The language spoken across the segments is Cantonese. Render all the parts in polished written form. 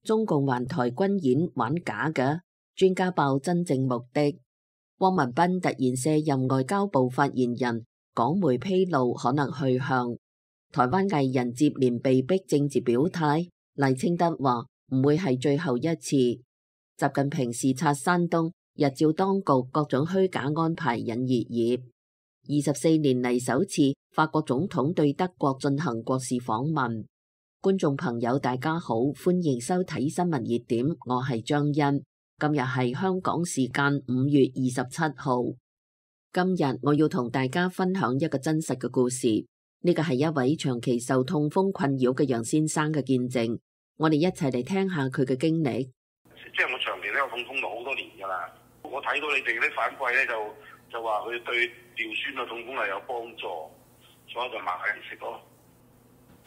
中共環台軍演玩假嘅，專家爆真正目的。汪文斌突然卸任外交部發言人，港媒披露可能去向。台灣藝人接連被逼政治表態，賴清德話唔會係最後一次。習近平視察山東，日照當局各種虛假安排引熱議。24年嚟首次，法國總統對德國進行國事訪問。觀眾朋友大家好，歡迎收睇新聞熱點，我係張欣。今日係香港時間5月27號。今日我要同大家分享一個真實嘅故事。呢個係一位長期受痛風困擾嘅楊先生嘅見證。我哋一齊嚟聽下佢嘅經歷。即係我長期都有痛風到好多年㗎啦。我睇到你哋啲反饋咧，就話佢對尿酸嘅痛風係有幫助，所以就買嚟食咯。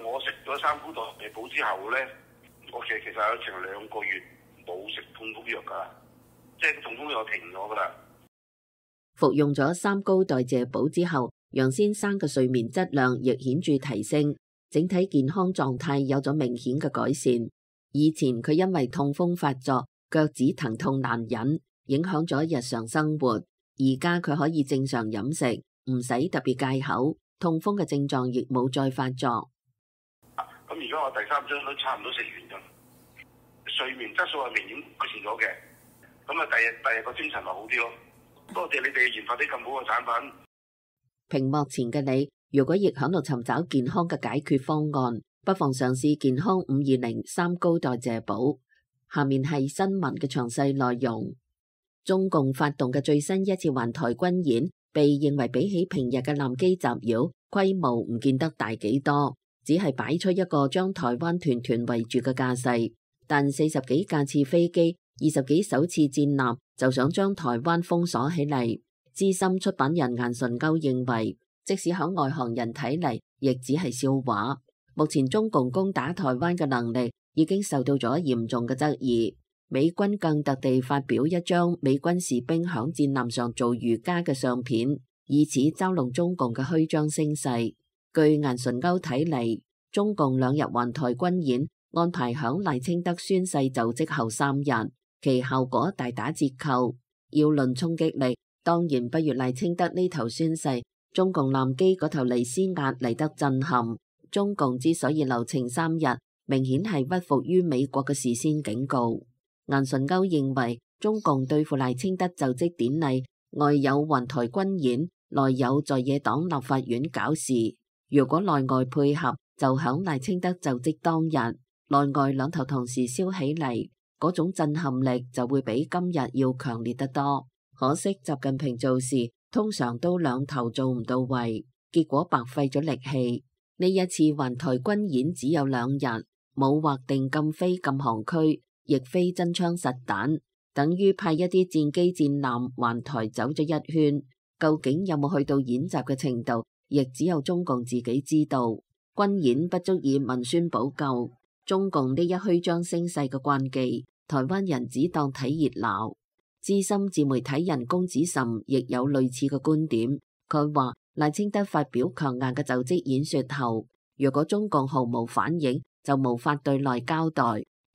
我食咗三菇代謝寶之後咧，我其實有成2個月冇食痛風藥㗎，即係痛風藥停咗㗎啦。服用咗三高代謝寶之後，楊先生嘅睡眠質量亦顯著提升，整體健康狀態有咗明顯嘅改善。以前佢因為痛風發作，腳趾疼痛難忍，影響咗日常生活。而家佢可以正常飲食，唔使特別戒口，痛風嘅症狀亦冇再發作。咁而家我第3針都差唔多食完咗，睡眠質素係明顯改善咗嘅。咁啊，第日個精神咪好啲咯。多謝你哋研發啲咁好嘅產品。屏幕前嘅你，如果亦喺度尋找健康嘅解決方案，不妨嘗試健康520三高代謝寶。下面係新聞嘅詳細內容。中共發動嘅最新一次環台軍演，被認為比起平日嘅艦機襲擾，規模唔見得大幾多，只係擺出一個將台灣團團圍住嘅架勢。但40幾架次飛機、20幾艘次戰艦就想將台灣封鎖起嚟。資深出版人顏純鈎認為，即使喺外行人睇嚟，亦只係笑話。目前中共攻打台灣嘅能力已經受到咗嚴重嘅質疑。美軍更特地發表一張美軍士兵響戰艦上做瑜伽嘅相片，以此嘲弄中共嘅虛張聲勢。據顏純鈎睇嚟，中共2日環台軍演安排響賴清德宣誓就職後3日，其效果大打折扣。要論衝擊力，當然不如賴清德呢頭宣誓，中共艦機嗰頭嚟施壓嚟得震撼。中共之所以留情3日，明顯係屈服於美國嘅事先警告。顏純鈎認為，中共對付賴清德就職典禮，外有環台軍演，內有在野黨立法院搞事。如果內外配合，就響賴清德就職當日，內外兩頭同時燒起嚟，嗰種震撼力就會比今日要強烈得多。可惜習近平做事通常都兩頭做唔到位，結果白費咗力氣。呢一次環台軍演只有2日，冇劃定禁飛禁航區，亦非真槍實彈，等於派一啲戰機戰艦環台走咗一圈。究竟有冇去到演習嘅程度，亦只有中共自己知道。軍演不足以文宣補救，中共呢一虛張聲勢嘅慣技，台灣人只當睇熱鬧。資深自媒體人龔子岑亦有類似嘅觀點。佢話賴清德發表強硬嘅就職演說後，如果中共毫無反應，就無法對內交代。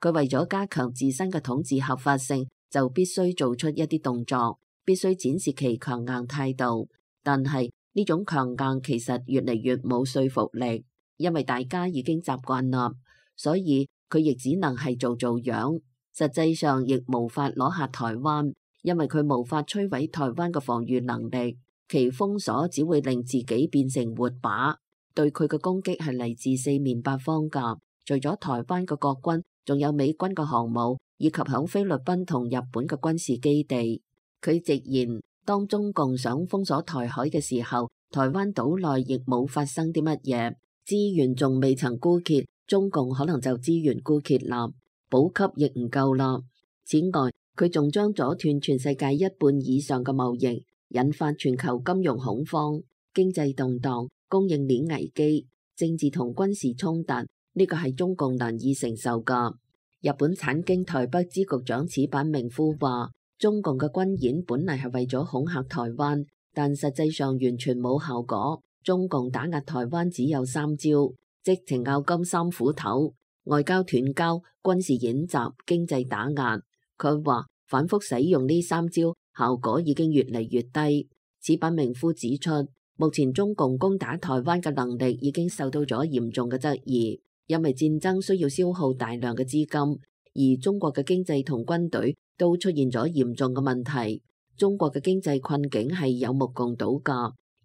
佢為咗加強自身嘅統治合法性，就必須做出一啲動作，必須展示其強硬態度。但係呢種強硬其實越嚟越冇說服力，因為大家已經習慣啦，所以佢亦只能係做樣。實際上亦無法攞下台灣，因為佢無法摧毀台灣嘅防禦能力，其封鎖只會令自己變成活靶。對佢嘅攻擊係嚟自4面8方㗎，除咗台灣嘅國軍，仲有美軍嘅航母，以及響菲律賓同日本嘅軍事基地。佢直言，當中共想封鎖台海嘅時候，台灣島內亦冇發生啲乜嘢，資源仲未曾枯竭，中共可能就資源枯竭啦。補給亦唔夠啦。此外，佢仲將阻斷全世界1半以上嘅貿易，引發全球金融恐慌、經濟動盪、供應鏈危機、政治同軍事衝突，呢個係中共難以承受㗎。日本產經台北支局長矢板明夫話，中共嘅軍演本嚟係為咗恐嚇台灣，但實際上完全冇效果。中共打壓台灣只有3招，即情咬金3斧頭。外交斷交、軍事演習、經濟打壓。佢話反覆使用呢三招，效果已經越嚟越低。矢板明夫指出，目前中共攻打台灣嘅能力已經受到咗嚴重嘅質疑，因為戰爭需要消耗大量嘅資金，而中國嘅經濟同軍隊都出現咗嚴重嘅問題。中國嘅經濟困境係有目共睹㗎，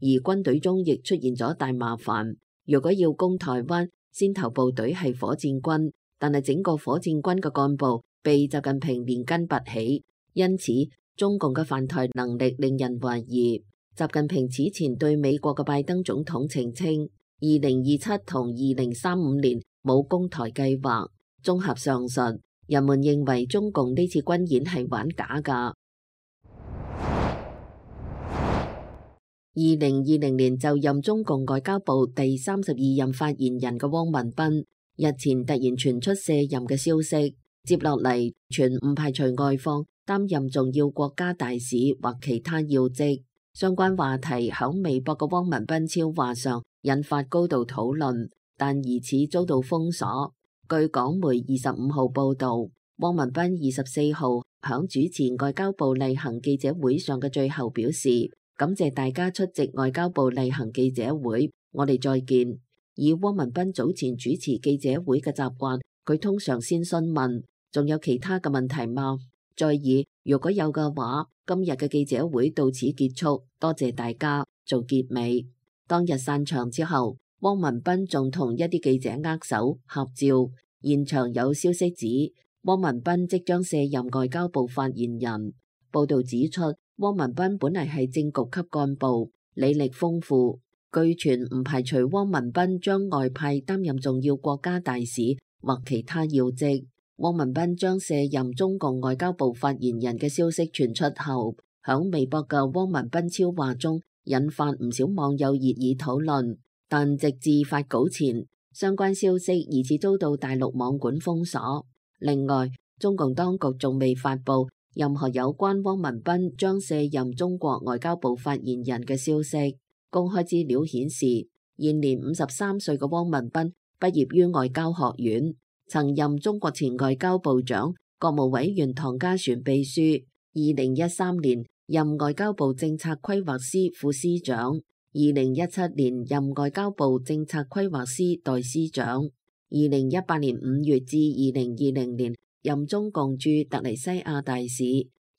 而軍隊中亦出現咗大麻煩。如果要攻台灣，先頭部隊係火箭軍，但係整個火箭軍嘅幹部被習近平連根拔起，因此中共嘅犯台能力令人懷疑。習近平此前對美國嘅拜登總統澄清，2027同2035年冇攻台計劃。綜合上述，人們認為中共呢次軍演係玩假㗎。2020年就任中共外交部第32任發言人嘅汪文斌，日前突然傳出卸任嘅消息，接落嚟全唔排除外訪擔任重要國家大使或其他要職。相關話題響微博嘅汪文斌超話上引發高度討論，但疑似遭到封鎖。據港媒25號報道，汪文斌24號響主持外交部例行記者會上嘅最後表示，感謝大家出席外交部例行記者會，我哋再見。以汪文斌早前主持記者會嘅習慣，佢通常先詢問，仲有其他嘅問題嗎？再以如果有嘅話，今日嘅記者會到此結束，多謝大家，做結尾。當日散場之後，汪文斌仲同一啲記者握手合照，現場有消息指汪文斌即將卸任外交部發言人。報道指出，汪文斌本嚟係政局級幹部，履歷豐富，據傳唔排除汪文斌將外派擔任重要國家大使或其他要職。汪文斌將卸任中共外交部發言人嘅消息傳出後，響微博嘅汪文斌超話中引發唔少網友熱議討論，但直至發稿前，相關消息疑似遭到大陸網管封鎖。另外，中共當局仲未發布任何有關汪文斌將卸任中國外交部發言人嘅消息。公開資料顯示，現年53歲嘅汪文斌畢業於外交學院，曾任中國前外交部長、國務委員唐家璇秘書。2013年任外交部政策規劃司副司長，2017年任外交部政策規劃司代司長，2018年5月至2020年任中共駐突尼西亞大使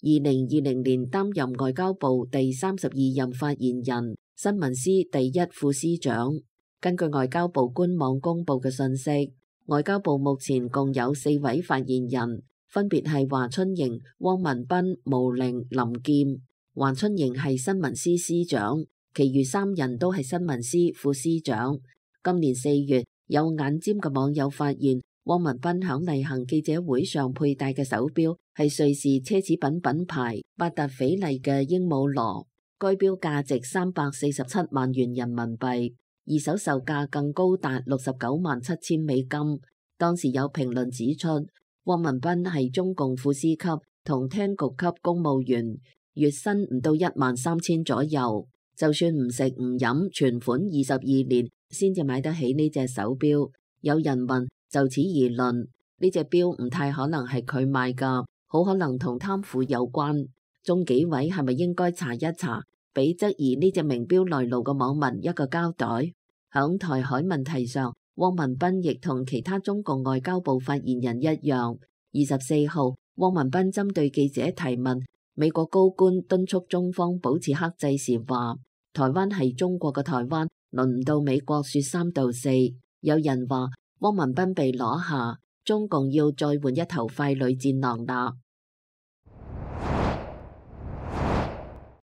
，2020年擔任外交部第32任發言人、新聞司第1副司長。根據外交部官網公布嘅信息，外交部目前共有4位發言人，分別係華春瑩、汪文斌、毛寧、林劍。華春瑩係新聞司司長，其餘3人都係新聞司副司長。今年4月，有眼尖嘅網友發現，汪文斌響例行記者會上佩戴嘅手錶係瑞士奢侈品品牌百達翡麗嘅鸚鵡螺，該錶價值347萬元人民幣，二手售價更高達69萬7千美金。當時有評論指出，汪文斌係中共副司級同廳局級公務員，月薪唔到13000左右，就算唔食唔飲，存款22年先至買得起呢隻手錶。有人問，就此而論，呢隻錶唔太可能係佢買㗎，好可能同貪腐有關。中紀委係咪應該查一查，俾質疑呢隻名錶來路嘅網民一個交代？響台海問題上，汪文斌亦同其他中共外交部發言人一樣。24號，汪文斌針對記者提問美國高官敦促中方保持克制時話，台灣係中國嘅台灣，輪唔到美國說三道四。有人話汪文斌被攞下，中共要再換一頭傀儡戰狼啦。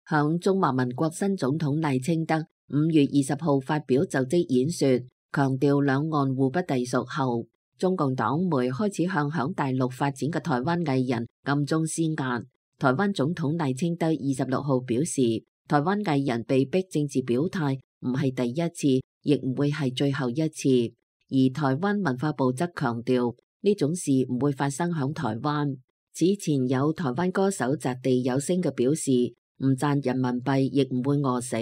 響中華民國新總統賴清德5月20號發表就職演說，強調兩岸互不隸屬後，中共黨媒開始向響大陸發展嘅台灣藝人暗中施壓。台灣總統賴清德26號表示，台灣藝人被逼政治表態唔係第一次，亦唔會係最後一次。而台灣文化部則強調，呢種事唔會發生響台灣。此前有台灣歌手擲地有聲嘅表示，唔賺人民幣亦唔會餓死。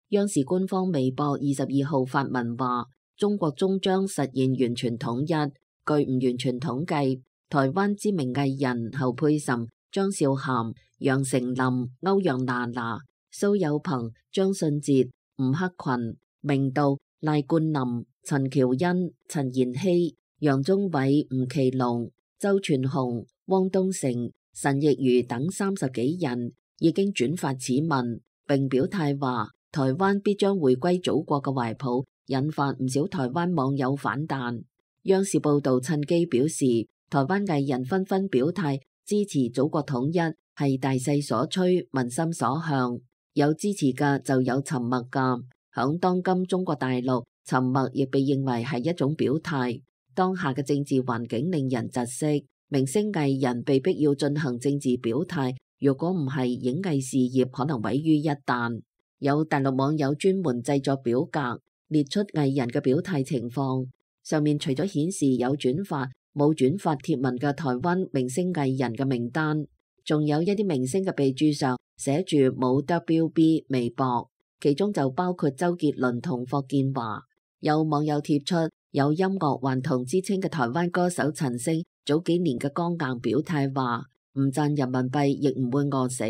央視官方微博22號發文話，中國終將實現完全統一，據唔完全統計，台灣知名藝人侯佩岑、張韶涵、楊丞琳、歐陽娜娜、蘇有朋、張信哲、吳克群、明道、賴冠霖、陳喬恩、陳妍希、楊宗緯、吳奇隆、周傳雄、汪東城、陳亦儒等30幾人已經轉發此文，並表態話台灣必將回歸祖國嘅懷抱，引發唔少台灣網友反彈。央視報道趁機表示，台灣藝人紛紛表態支持祖國統一係大勢所趨、民心所向，有支持嘅就有沉默嘅。響當今中國大陸，沉默亦被認為係一種表態。當下嘅政治環境令人窒息，明星藝人被逼要進行政治表態，如果唔係，影藝事業可能毀於一旦。有大陸網友專門製作表格，列出藝人嘅表態情況，上面除咗顯示有轉發冇轉發貼文嘅台灣明星藝人嘅名單，仲有一啲明星嘅備註上寫住冇 WB 微博，其中就包括周杰倫同霍建華。有網友貼出有音樂頑童之稱嘅台灣歌手陳星早幾年嘅剛硬表態話唔賺人民幣亦唔會餓死，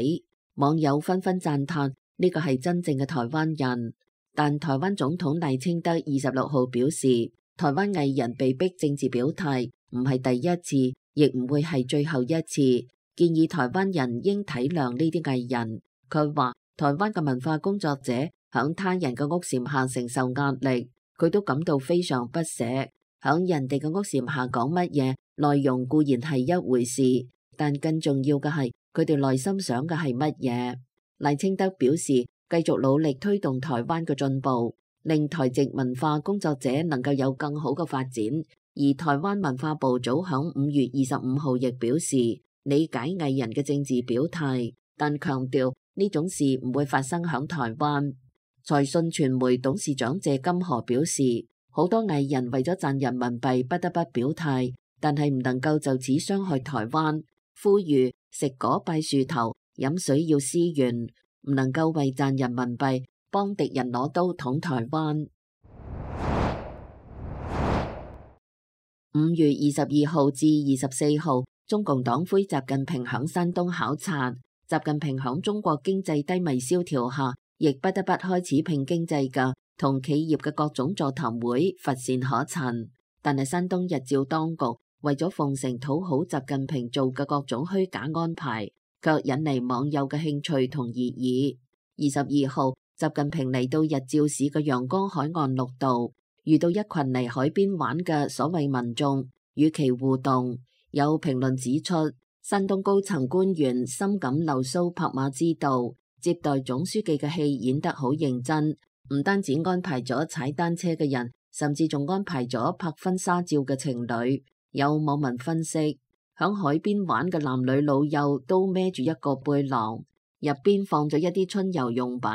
網友紛紛讚嘆呢個係真正嘅台灣人。但台灣總統賴清德26號表示，台灣藝人被逼政治表態唔係第一次，亦唔會係最後一次，建議台灣人應體諒呢啲藝人。佢話台灣嘅文化工作者響他人嘅屋檐下承受壓力，佢都感到非常不捨。響人哋嘅屋檐下講乜嘢內容固然係一回事，但更重要嘅係佢哋內心想嘅係乜嘢。賴清德表示，繼續努力推動台灣嘅進步，令台籍文化工作者能夠有更好嘅發展。而台灣文化部早響5月25號亦表示，理解藝人嘅政治表態，但強調呢種事唔會發生響台灣。財訊傳媒董事長謝金河表示，好多藝人為咗賺人民幣不得不表態，但係唔能夠就此傷害台灣，呼籲食果拜樹頭，飲水要思源，唔能夠為賺人民幣幫敵人攞刀捅台灣。5月22號至24號，中共黨魁習近平響山東考察。習近平響中國經濟低迷蕭條下，亦不得不開始拼經濟嘅同企業嘅各種座談會乏善可陳。但係山東日照當局為咗奉承討好習近平做嘅各種虛假安排，卻引嚟網友嘅興趣同熱議。22號，習近平嚟到日照市嘅陽江海岸綠道，遇到一群嚟海邊玩嘅所謂民眾，與其互動。有評論指出，山東高層官員深感流蘇拍馬之道，接待總書記嘅戲演得好認真，唔單止安排咗踩單車嘅人，甚至仲安排咗拍婚紗照嘅情侶。有網民分析，響海邊玩嘅男女老幼都孭住一個背囊，入邊放咗一啲春遊用品，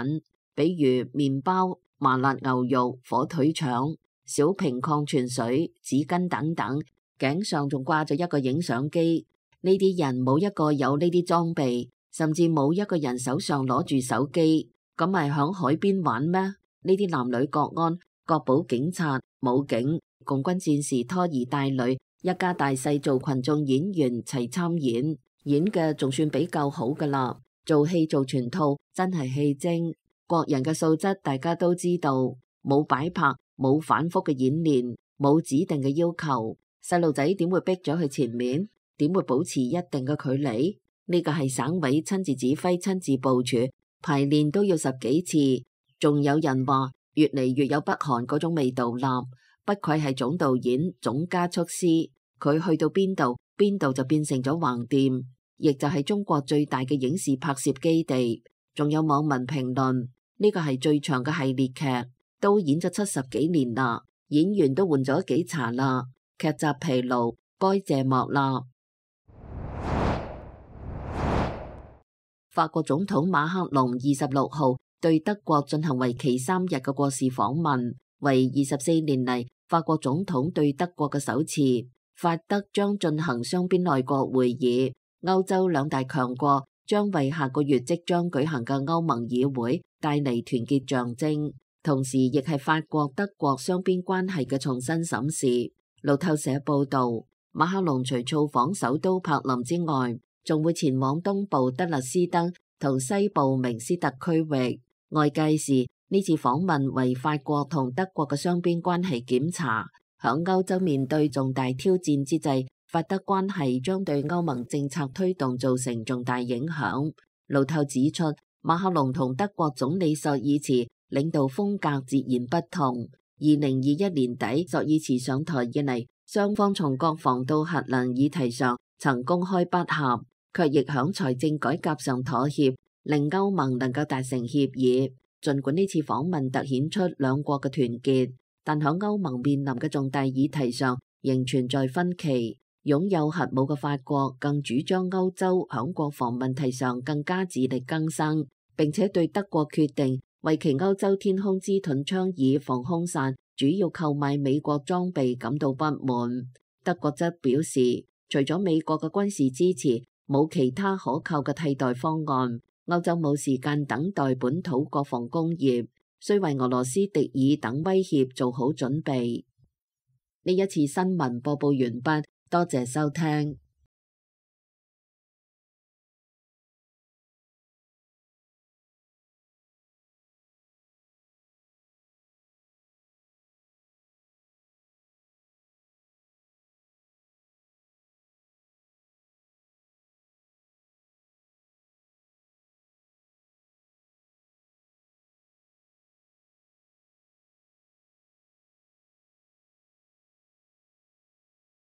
比如麵包、麻辣牛肉、火腿腸、小瓶礦泉水、紙巾等等，頸上仲掛咗一個影相機。呢啲人冇一個有呢啲裝備，甚至冇一個人手上攞住手機，咁咪響海邊玩咩？呢啲男女國安、國保警察、武警、共軍戰士拖兒帶女，一家大細做群眾演員齊參演，演嘅仲算比較好噶啦。做戲做全套，真係戲精。國人嘅素質大家都知道，冇擺拍，冇反覆嘅演練，冇指定嘅要求，細路仔點會逼咗去前面？點會保持一定嘅距離？呢個係省委親自指揮、親自部署，排練都要10幾次。仲有人話越嚟越有北韓嗰種味道啦。不愧係總導演、總加速師，佢去到邊度，邊度就變成咗橫店，亦就係中國最大嘅影視拍攝基地。仲有網民評論，呢個係最長嘅系列劇，都演咗70幾年啦，演員都換咗幾茬啦，劇集疲勞，該謝幕啦。法國總統馬克龍26號對德國進行為期3日嘅國事訪問，為24年嚟法國總統對德國嘅首次。法德將進行雙邊內閣會議，歐洲兩大強國將為下個月即將舉行嘅歐盟議會帶嚟團結象徵，同時亦係法國德國雙邊關係嘅重新審視。路透社報導，馬克龍除造訪首都柏林之外，仲會前往東部德勒斯登同西部明斯特區域。外界視呢次訪問為法國同德國嘅雙邊關係檢查。響歐洲面對重大挑戰之際，法德關係將對歐盟政策推動造成重大影響。路透指出，馬克龍同德國總理朔爾茨領導風格截然不同。2021年底朔爾茨上台以嚟，雙方從國防到核能議題上曾公開不合，卻亦響財政改革上妥協，令歐盟能夠達成協議。儘管呢次訪問凸顯出兩國嘅團結，但響歐盟面臨嘅重大議題上仍存在分歧。擁有核武嘅法國更主張歐洲響國防問題上更加自力更生，並且對德國決定為其歐洲天空之盾倡議防空傘主要購買美國裝備感到不滿。德國則表示，除咗美國嘅軍事支持，冇其他可靠嘅替代方案。歐洲冇時間等待本土國防工業，需為俄羅斯敵意等威脅做好準備。呢一次新聞播報完畢，多謝收聽。